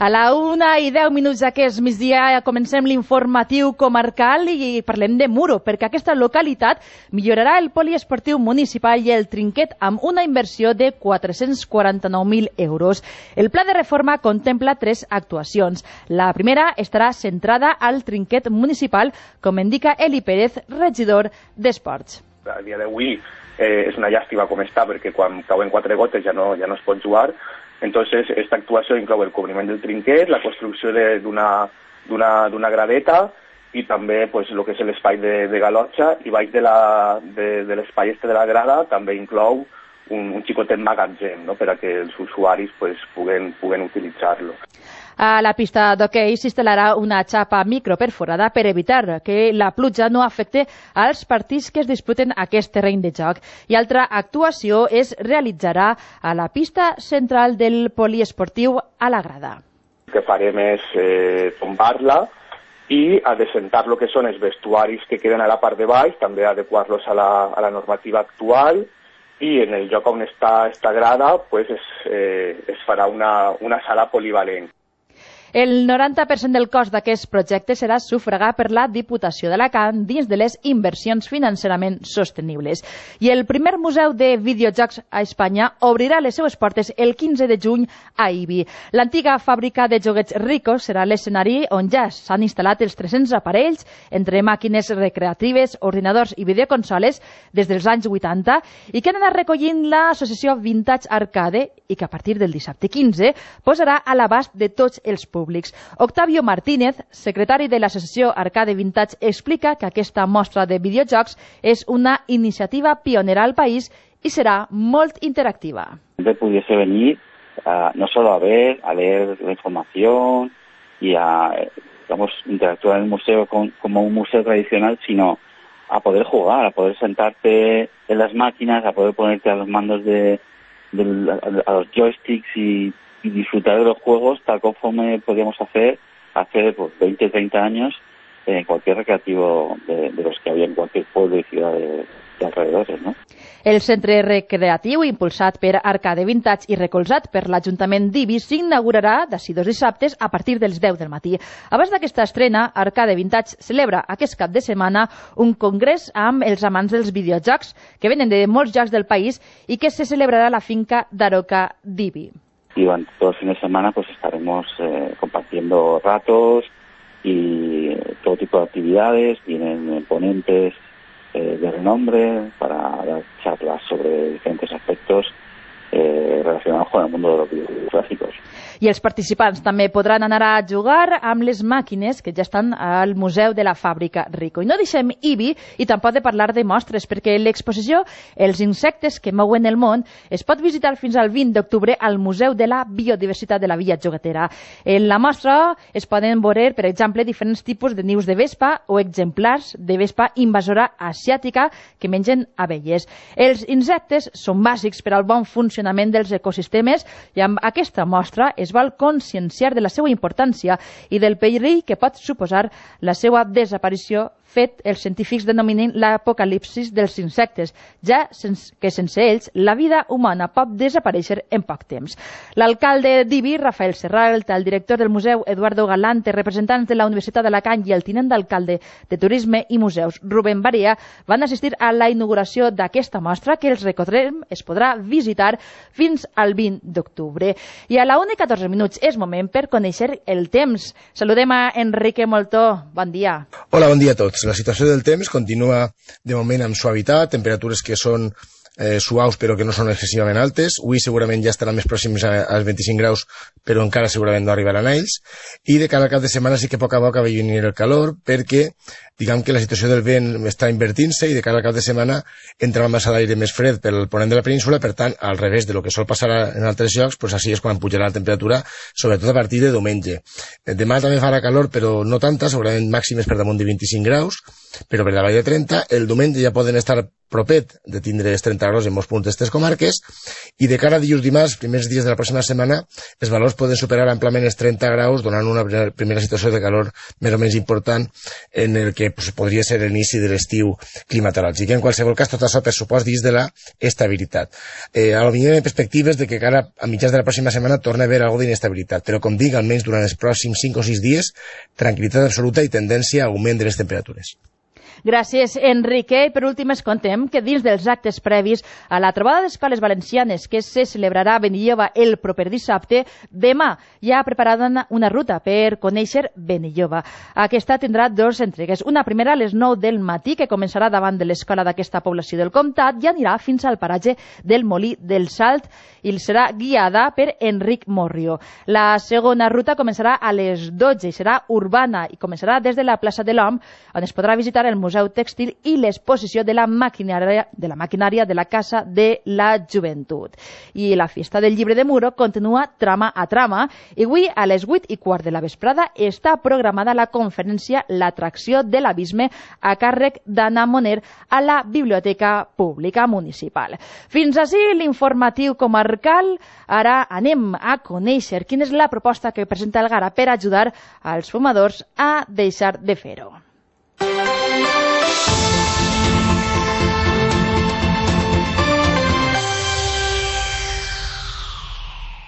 A la 1:10 d'aquest migdia comencem l'informatiu comarcal i parlem de Muro, perquè aquesta localitat millorarà el poliesportiu municipal i el trinquet amb una inversió de 449.000 euros. El pla de reforma contempla 3 actuacions. La primera estarà centrada al trinquet municipal, com indica Eli Pérez, regidor d'Esports. A dia d'avui és una llàstima com està, perquè quan cauen 4 gotes ja no es pot jugar. Entonces, esta actuació inclou el cobriment del trinquet, la construcció d'una gradeta i també pues, el que és l'espai de galotxa, i baix de l'espai este de la grada també inclou un xicotet magatzem, no?, per a que els usuaris pues, puguen utilitzar-lo. A la pista d'hoquei s'instal·larà una xapa microperforada per evitar que la pluja no afecte als partits que es disputen aquest terreny de joc. I altra actuació es realitzarà a la pista central del poliesportiu a la grada. El que farem és tombar-la i adecentar el que són els vestuaris que queden a la part de baix, també adequar-los a la normativa actual, i en el lloc on està esta grada pues, es farà una sala polivalent. El 90% del cost d'aquest projecte serà sufragat per la Diputació d'Alacant dins de les inversions financerament sostenibles. I el primer museu de videojocs a Espanya obrirà les seues portes el 15 de juny a Ibi. L'antiga fàbrica de joguets Rico serà l'escenari on ja s'han instal·lat els 300 aparells, entre màquines recreatives, ordinadors i videoconsoles des dels anys 80, i que han anat recollint l'associació Vintage Arcade i que a partir del dissabte 15 posarà a l'abast de tots els públics. Octavio Martínez, secretari de l'associació Arcade Vintage, explica que aquesta mostra de videojocs és una iniciativa pionera al país y será molt interactiva. Pudiese venir no solo a leer la información y a interactuar en el museo como un museo tradicional, sino a poder jugar, a poder sentarte en las máquinas, a poder ponerte a los mandos a los joysticks y disfrutar de los juegos tal conforme podíamos hacer hace 20, 30 años en cualquier recreativo de los que había en cualquier pueblo y ciudad de alrededores, ¿no? El centre recreatiu, impulsat per Arcade Vintage i recolzat per l'Ajuntament d'Ibi, s'inaugurarà d'ací 2 dissabtes a partir dels 10 del matí. Abans d'aquesta estrena, Arcade Vintage celebra aquest cap de setmana un congrés amb els amants dels videojocs que venen de molts llocs del país i que se celebrarà a la finca d'Aroca d'Ibi. Y durante todo el fin de semana pues estaremos compartiendo ratos y todo tipo de actividades. Vienen ponentes de renombre para dar charlas sobre diferentes aspectos relacionados con el mundo de los videojuegos clásicos. I els participants també podran anar a jugar amb les màquines que ja estan al Museu de la Fàbrica Rico. I no deixem Ibi i tampoc de parlar de mostres, perquè l'exposició Els insectes que mouen el món es pot visitar fins al 20 d'octubre al Museu de la Biodiversitat de la Villa Joguetera. En la mostra es poden veure, per exemple, diferents tipus de nius de vespa o exemplars de vespa invasora asiàtica que mengen abelles. Els insectes són bàsics per al bon funcionament dels ecosistemes i amb aquesta mostra es vol conscienciar de la seva importància i del perill que pot suposar la seva desaparició, fet els científics denominen l'apocalipsis dels insectes, ja que sense ells la vida humana pot desaparèixer en poc temps. L'alcalde d'Ibi, Rafael Serralt, el director del museu, Eduardo Galante, representants de la Universitat d'Alacant i el tinent d'alcalde de Turisme i Museus, Rubén Barea, van assistir a la inauguració d'aquesta mostra que els recordem es podrà visitar fins al 20 d'octubre. I a la 1:14 és moment per conèixer el temps. Saludem a Enrique Moltó. Bon dia. Hola, bon dia a tots. La situació del temps continua de moment amb suavitat, temperatures que són suaus però que no són excessivament altes. Avui segurament ja estaran més pròxims als 25 graus, però encara segurament no arribaran a ells. I de cara al cap de setmana sí que a poc a poc va venir el calor, perquè diguem que la situació del vent està invertint-se i de cara al cap de setmana entra la massa d'aire més fred pel ponent de la península. Per tant, al revés de lo que sol passar en altres llocs, doncs així és quan pujarà la temperatura, sobretot a partir de diumenge. Demà també farà calor, però no tanta, segurament màximes per damunt de 25 graus, però per davall de 30. El diumenge ja poden estar propet de tindre els 30 graus en molts punts d'estes comarques, i de cara a dilluns dimarts, primers dies de la pròxima setmana, els valors temperatures poden superar amplament els 30 graus, donant una primera situació de calor més o menys important en el que podria ser l'inici de l'estiu climatològic. En qualsevol cas, tot això per supost dins de la estabilitat. A lo millor hi ha perspectives de que encara a mitjans de la pròxima setmana torna a haver alguna d'inestabilitat, però com dic, almenys durant els pròxims 5 o 6 dies, tranquil·litat absoluta i tendència a augment de les temperatures. Gràcies, Enrique. I per últim es contem que dins dels actes previs a la trobada d'escoles valencianes que se celebrarà a Benilloba el proper dissabte, demà ja ha preparada una ruta per conèixer Benilloba. Aquesta tindrà 2 entregues. Una primera a les 9 del matí, que començarà davant de l'escola d'aquesta població del comtat i anirà fins al paratge del Molí del Salt i serà guiada per Enric Morrio. La segona ruta començarà a les 12 i serà urbana i començarà des de la plaça de l'Hom, on es podrà visitar el Museu Tèxtil i l'exposició de la maquinària de la Casa de la Joventut. I la Festa del Llibre de Muro continua trama a trama i avui a les 8:15 de la vesprada està programada la conferència L'atracció de l'abisme a càrrec d'Anna Moner a la Biblioteca Pública Municipal. Fins ací l'informatiu comarcal. Ara anem a conèixer quina és la proposta que presenta el Gara per ajudar als fumadors a deixar de fer-ho.